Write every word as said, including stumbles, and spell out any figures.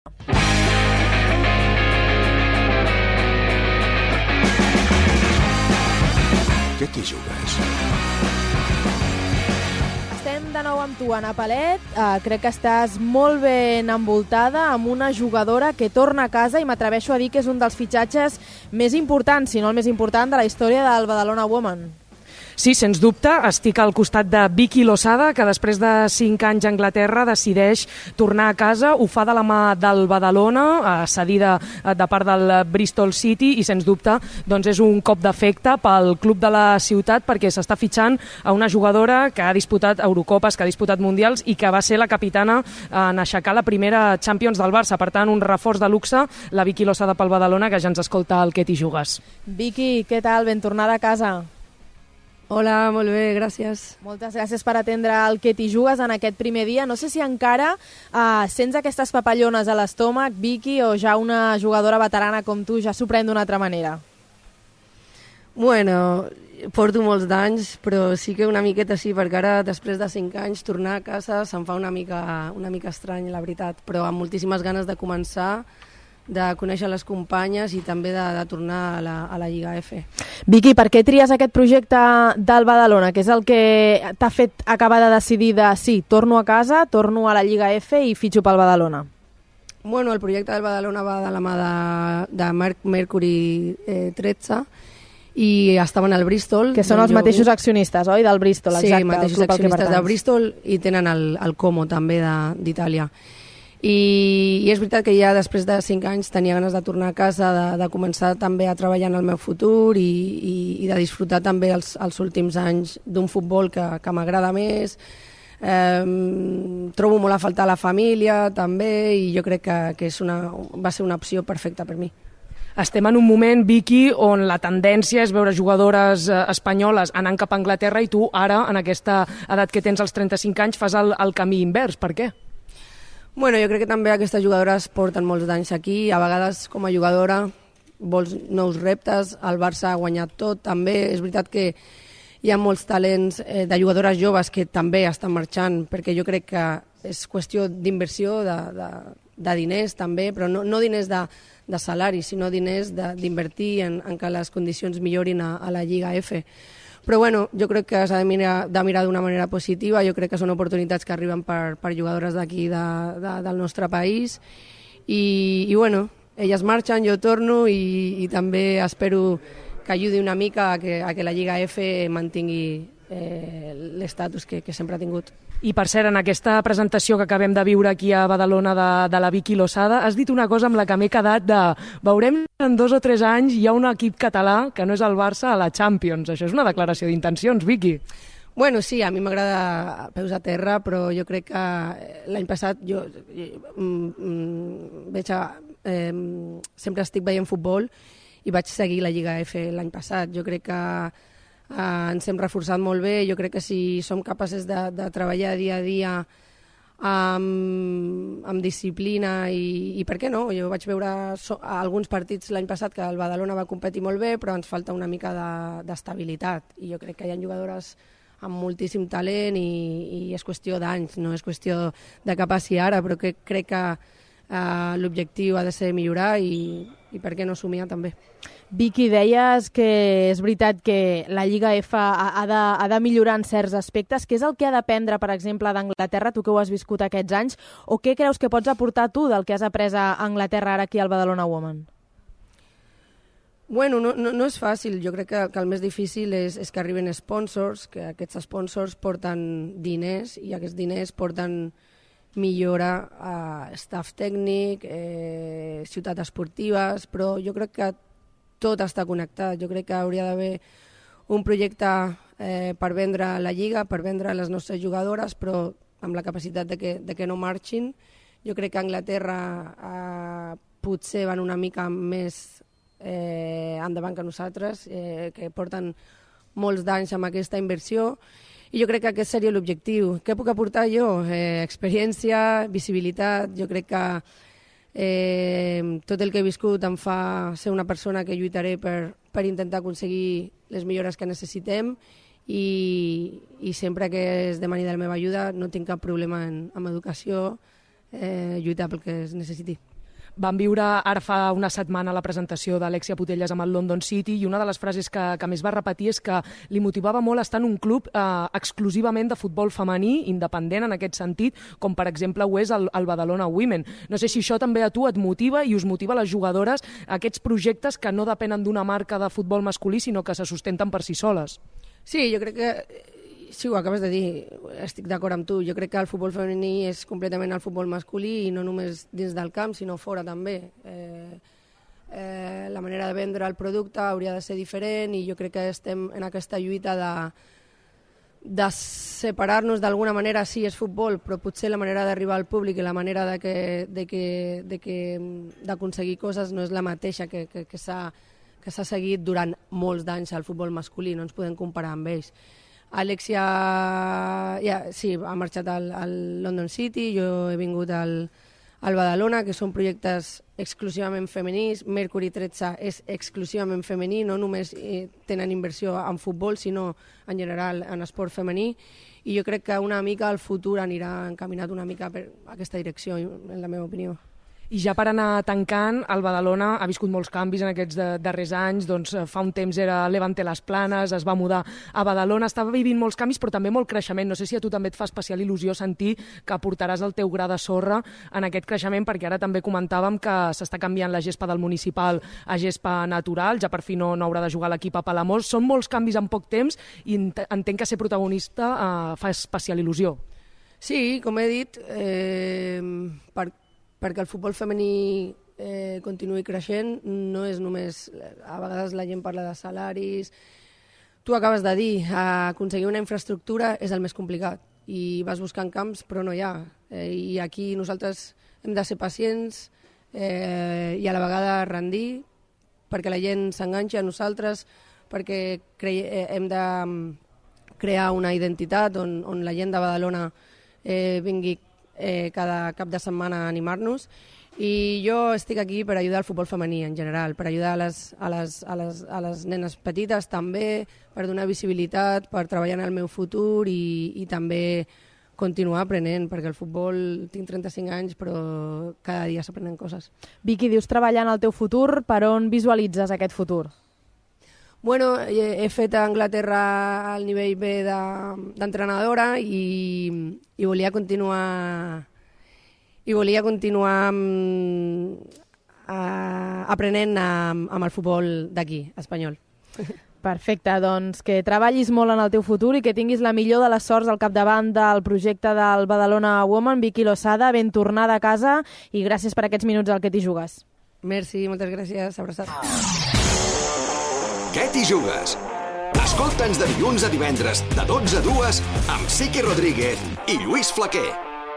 Què t'hi jugues? Estem de nou amb tu, Anna Palet. Uh, crec que estàs molt ben envoltada amb una jugadora que torna a casa i m'atreveixo a dir que és un dels fitxatges més importants, si no el més important, de la història del Badalona Women. Sí, sens dubte, estic al costat de Vicky Losada, que després de cinc anys a Anglaterra decideix tornar a casa, ho fa de la mà del Badalona, cedida de part del Bristol City, i sens dubte doncs és un cop d'efecte pel club de la ciutat, perquè s'està fitxant a una jugadora que ha disputat Eurocopes, que ha disputat Mundials i que va ser la capitana en aixecar la primera Champions del Barça. Per tant, un reforç de luxe, la Vicky Losada pel Badalona, que ja ens escolta el Què t'hi jugues. Vicky, què tal? Ben tornada a casa. Hola, molt bé, gràcies. Moltes gràcies per atendre el Què t'hi jugues en aquest primer dia. No sé si encara uh, sents aquestes papallones a l'estómac, Vicky, o ja una jugadora veterana com tu ja s'ho pren d'una altra manera? Bueno, porto molts d'anys, però sí que una miqueta sí, perquè ara, després de cinc anys, tornar a casa se'm fa una mica, una mica estrany, la veritat, però amb moltíssimes ganes de començar, de conèixer les companyes i també de, de tornar a la, a la Lliga F. Vicky, per què tries aquest projecte del Badalona, que és el que t'ha fet acabar de decidir de sí, torno a casa, torno a la Lliga F i fitxo pel Badalona? Bueno, el projecte del Badalona va de la mà de, de Mercury eh, tretze i estaven al Bristol. Que són els jo... mateixos accionistes, oi, del Bristol? Exacte, sí, mateixos accionistes del Bristol i tenen el, el Como també d'Itàlia. I, I és veritat que ja després de cinc anys tenia ganes de tornar a casa, de, de començar també a treballar en el meu futur i, i, i de disfrutar també els, els últims anys d'un futbol que, que m'agrada més. Eh, trobo molt a faltar la família també i jo crec que, que és una, va ser una opció perfecta per mi. Estem en un moment, Vicky, on la tendència és veure jugadores eh, espanyoles anant cap a Anglaterra i tu ara, en aquesta edat que tens als trenta-cinc anys, fas el, el camí invers. Per què? Bueno, jo crec que també aquestes jugadores porten molts d'anys aquí, a vegades com a jugadora vols nous reptes, el Barça ha guanyat tot, també és veritat que hi ha molts talents eh, de jugadores joves que també estan marxant, perquè jo crec que és qüestió d'inversió, de, de, de diners també, però no, no diners de, de salari, sinó diners d'invertir en, en que les condicions millorin a, a la Lliga F. Però bueno, jo crec que s'ha de mirar de mirar d'una manera positiva, jo crec que són oportunitats que arriben per, per jugadores d'aquí de, de, del nostre país i, i bueno, elles marxen, jo torno i, i també espero que ajudi una mica a que, a que la Lliga F mantingui eh, l'estatus que, que sempre ha tingut. I per cert, en aquesta presentació que acabem de viure aquí a Badalona de, de la Vicky Losada, has dit una cosa amb la que m'he quedat de veurem en dos o tres anys hi ha un equip català que no és el Barça a la Champions. Això és una declaració d'intencions, Vicky. Bueno, sí, a mi m'agrada peus a terra, però jo crec que l'any passat jo, jo mm, veig a, eh, sempre estic veient futbol i vaig seguir la Lliga F l'any passat. Jo crec que Uh, ens hem reforçat molt bé, jo crec que si som capaces de, de treballar dia a dia amb, amb disciplina i, i per què no? Jo vaig veure so, alguns partits l'any passat que el Badalona va competir molt bé, però ens falta una mica d'estabilitat i jo crec que hi ha jugadores amb moltíssim talent i, i és qüestió d'anys, no és qüestió de cap a si ara, però que crec que uh, l'objectiu ha de ser millorar i, i per què no somiar també. Vicky, deies que és veritat que la Lliga F ha, ha, de, ha de millorar en certs aspectes. Què és el que ha d'aprendre, per exemple, d'Anglaterra, tu que ho has viscut aquests anys, o què creus que pots aportar tu del que has après a Anglaterra ara aquí al Badalona Women? Bueno, no, no, no és fàcil. Jo crec que, que el més difícil és, és que arriben sponsors, que aquests sponsors porten diners i aquests diners porten millora a staff tècnic, eh, ciutats esportives, però jo crec que tot està connectat. Jo crec que hauria d'haver un projecte eh, per vendre la Lliga, per vendre les nostres jugadores, però amb la capacitat de que, de que no marxin. Jo crec que Anglaterra eh, potser van una mica més eh, endavant que nosaltres, eh, que porten molts d'anys amb aquesta inversió, i jo crec que aquest seria l'objectiu. Què puc aportar jo? Eh, experiència, visibilitat. Jo crec que eh, tot el que he viscut em fa ser una persona que lluitaré per, per intentar aconseguir les millores que necessitem i, i sempre que es demani de la meva ajuda no tinc cap problema en, amb educació, eh, lluitar pel que es necessiti. Vam viure ara fa una setmana la presentació d'Alexia Putellas amb el London City i una de les frases que, que més va repetir és que li motivava molt estar en un club eh, exclusivament de futbol femení, independent en aquest sentit, com per exemple ho és el, el Badalona Women. No sé si això també a tu et motiva i us motiva a les jugadores aquests projectes que no depenen d'una marca de futbol masculí, sinó que se sustenten per si soles. Sí, jo crec que sí, ho acabes de dir, estic d'acord amb tu. Jo crec que el futbol femení és completament el futbol masculí i no només dins del camp, sinó fora també. Eh, eh, la manera de vendre el producte hauria de ser diferent i jo crec que estem en aquesta lluita de, de separar-nos d'alguna manera. Sí, és futbol, però potser la manera d'arribar al públic i la manera de que, de que, de que, d'aconseguir coses no és la mateixa que, que, que s'ha que s'ha seguit durant molts d'anys al futbol masculí, no ens podem comparar amb ells. Alexia ja, sí, ha marxat al, al London City, jo he vingut al, al Badalona, que són projectes exclusivament femenins. Mercury tretze és exclusivament femení, no només eh, tenen inversió en futbol, sinó en general en esport femení, i jo crec que una mica el futur anirà encaminat una mica per aquesta direcció, en la meva opinió. I ja per anar tancant, el Badalona ha viscut molts canvis en aquests de, darrers anys, doncs fa un temps era Levante Las Planes, es va mudar a Badalona, estava vivint molts canvis però també molt creixement. No sé si a tu també et fa especial il·lusió sentir que aportaràs el teu gra de sorra en aquest creixement, perquè ara també comentàvem que s'està canviant la gespa del municipal a gespa natural, ja per fi no, no haurà de jugar l'equip a Palamós. Són molts canvis en poc temps i entenc que ser protagonista eh, fa especial il·lusió. Sí, com he dit, eh, per perquè el futbol femení eh, continuï creixent, no és només... A vegades la gent parla de salaris... Tu acabes de dir, aconseguir una infraestructura és el més complicat i vas buscant camps però no hi ha. Eh, I aquí nosaltres hem de ser pacients eh, i a la vegada rendir perquè la gent s'enganxi a nosaltres, perquè cre- eh, hem de crear una identitat on, on la gent de Badalona eh, vingui Eh, cada cap de setmana a animar-nos, i jo estic aquí per ajudar al futbol femení en general, per ajudar a les, a les, a les, a les nenes petites també, per donar visibilitat, per treballar en el meu futur i, i també continuar aprenent, perquè el futbol, tinc trenta-cinc anys, però cada dia s'aprenen coses. Vicky, dius treballar en el teu futur, per on visualitzes aquest futur? Bueno, he fet a Anglaterra al nivell B d'entrenadora de, i, i volia continuar i volia continuar amb, a, aprenent amb, amb el futbol d'aquí, espanyol. Perfecte, doncs que treballis molt en el teu futur i que tinguis la millor de les sorts al capdavant del projecte del Badalona Women. Vicky Losada, ben tornada a casa i gràcies per aquests minuts al Que t'hi jugues. Merci, moltes gràcies, abraçat. Què t'hi jugues? Escolta'ns de dilluns a divendres, de dotze a dues, amb Sique Rodríguez i Lluís Flaquer.